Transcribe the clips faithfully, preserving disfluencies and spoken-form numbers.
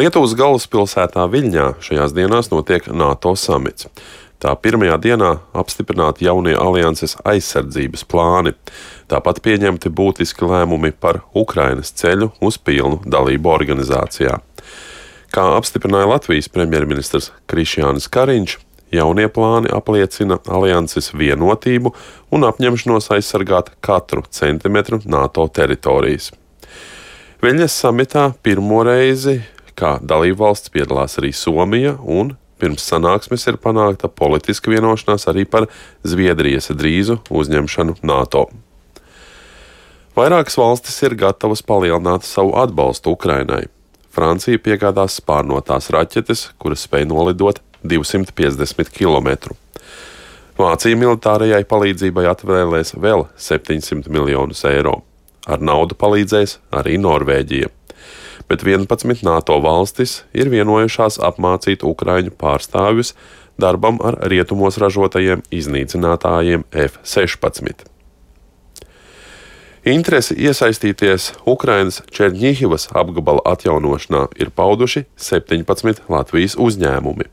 Lietuvas galvaspilsētā Viļņā šajās dienās notiek NATO samits. Tā pirmajā dienā apstiprināti jaunie alianses aizsardzības plāni. Tāpat pieņemti būtiski lēmumi par Ukrainas ceļu uz pilnu dalību organizācijā. Kā apstiprināja Latvijas premjerministrs Krišjānis Kariņš, jaunie plāni apliecina alianses vienotību un apņemšanos aizsargāt katru centimetru NATO teritorijas. Viļņas samitā pirmo reizi kā dalībvalsts piedalās arī Somija, un pirms sanāksmes ir panākta politiska vienošanās arī par Zviedrijas drīzu uzņemšanu NATO. Vairākas valstis ir gatavas palielināt savu atbalstu Ukrainai. Francija piegādās spārnotās raķetes, kuras spēj nolidot divsimt piecdesmit kilometru. Vācija militārajai palīdzībai atvēlēs vēl septiņsimt miljonus eiro. Ar naudu palīdzēs arī Norvēģija. Bet vienpadsmit NATO valstis ir vienojušās apmācīt ukraiņu pārstāvjus darbam ar rietumos ražotajiem iznīcinātājiem F sešpadsmit. Interesi iesaistīties Ukrainas Čerņihivas apgabala atjaunošanā ir pauduši septiņpadsmit Latvijas uzņēmumi.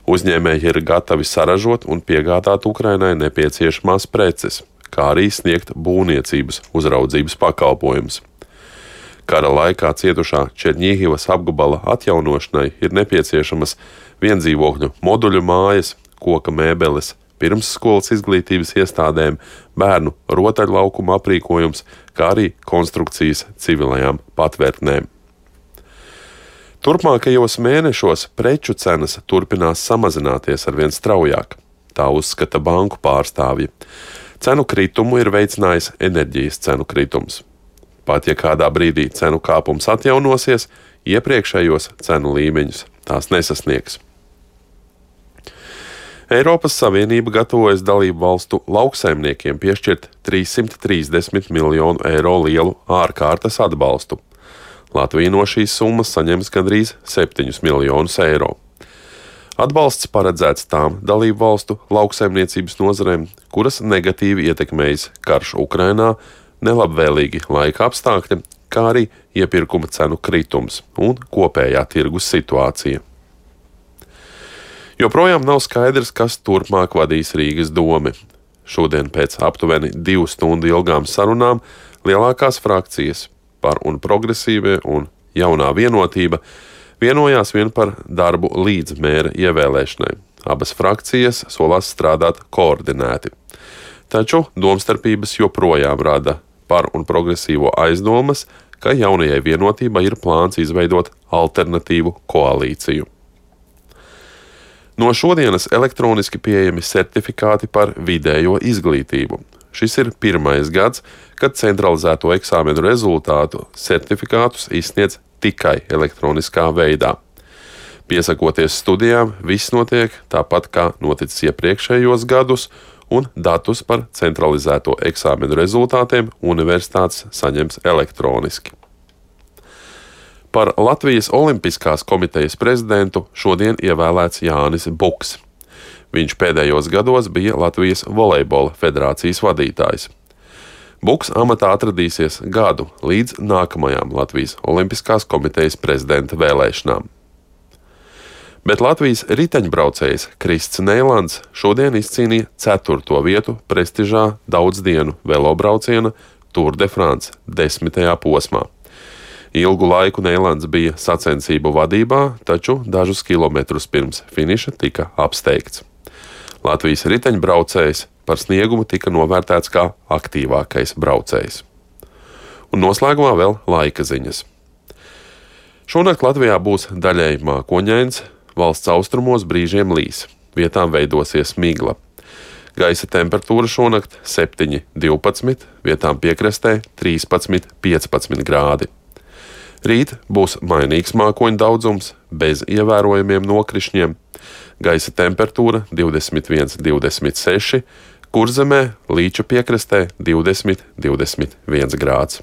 Uzņēmēji ir gatavi saražot un piegādāt Ukrainai nepieciešamās preces, kā arī sniegt būvniecības uzraudzības pakalpojumus. Kara laikā cietušā Čerņihivas apgabala atjaunošanai ir nepieciešamas viendzīvokļu moduļu mājas, koka mēbeles, pirmsskolas izglītības iestādēm, bērnu rotaļlaukuma aprīkojums, kā arī konstrukcijas civilajām patvērtnēm. Turpmākajos mēnešos preču cenas turpinās samazināties arvien straujāk, tā uzskata banku pārstāvji. Cenu kritumu ir veicinājis enerģijas cenu kritums. Pat ja kādā brīdī cenu kāpums atjaunosies, iepriekšējos cenu līmeņus tās nesasniegs. Eiropas Savienība gatavojas dalību valstu lauksaimniekiem piešķirt trīssimt trīsdesmit miljonu eiro lielu ārkārtas atbalstu. Latvija no šīs summas saņems gandrīz septiņus miljonus eiro. Atbalsts paredzēts tām dalību valstu lauksaimniecības nozarēm, kuras negatīvi ietekmējas karš Ukrainā, nelabvēlīgi laika apstākļi, kā arī iepirkuma cenu kritums un kopējā tirgus situācija. Joprojām nav skaidrs, kas turpmāk vadīs Rīgas domi. Šodien pēc aptuveni divu stundu ilgām sarunām lielākās frakcijas Par un Progresīvie un Jaunā vienotība vienojās vien par darbu līdz mēra ievēlēšanai. Abas frakcijas solās strādāt koordinēti. Taču domstarpības joprojām rada Par un Progresīvo aizdomas, ka Jaunajai vienotībai ir plāns izveidot alternatīvu koalīciju. No šodienas elektroniski pieejami certifikāti par vidējo izglītību. Šis ir pirmais gads, kad centralizēto eksāmenu rezultātu certifikātus izsniedz tikai elektroniskā veidā. Piesakoties studijām, viss notiek tāpat kā noticis iepriekšējos gadus, un datus par centralizēto eksāmenu rezultātiem universitātes saņems elektroniski. Par Latvijas Olimpiskās komitejas prezidentu šodien ievēlēts Jānis Buks. Viņš pēdējos gados bija Latvijas volejbola federācijas vadītājs. Buks amatā atradīsies gadu līdz nākamajām Latvijas Olimpiskās komitejas prezidenta vēlēšanām. Bet Latvijas riteņbraucējs Krists Neilands šodien izcīnīja ceturto vietu prestižā daudzdienu velobrauciena Tour de France desmitajā posmā. Ilgu laiku Neilands bija sacensību vadībā, taču dažus kilometrus pirms finiša tika apsteigts. Latvijas riteņbraucējs par sniegumu tika novērtēts kā aktīvākais braucējs. Un noslēgumā vēl laika ziņas. Šonakt Latvijā būs daļēji mākoņains, valsts austrumos brīžiem līs, vietām veidosies migla. Gaisa temperatūra šonakt septiņi divpadsmit, vietām piekrastē trīspadsmit piecpadsmit grādi. Rīt būs mainīgs mākoņu daudzums, bez ievērojamiem nokrišņiem. Gaisa temperatūra divdesmit viens divdesmit seši, Kurzemē līča piekrastē divdesmit divdesmit viens grāds.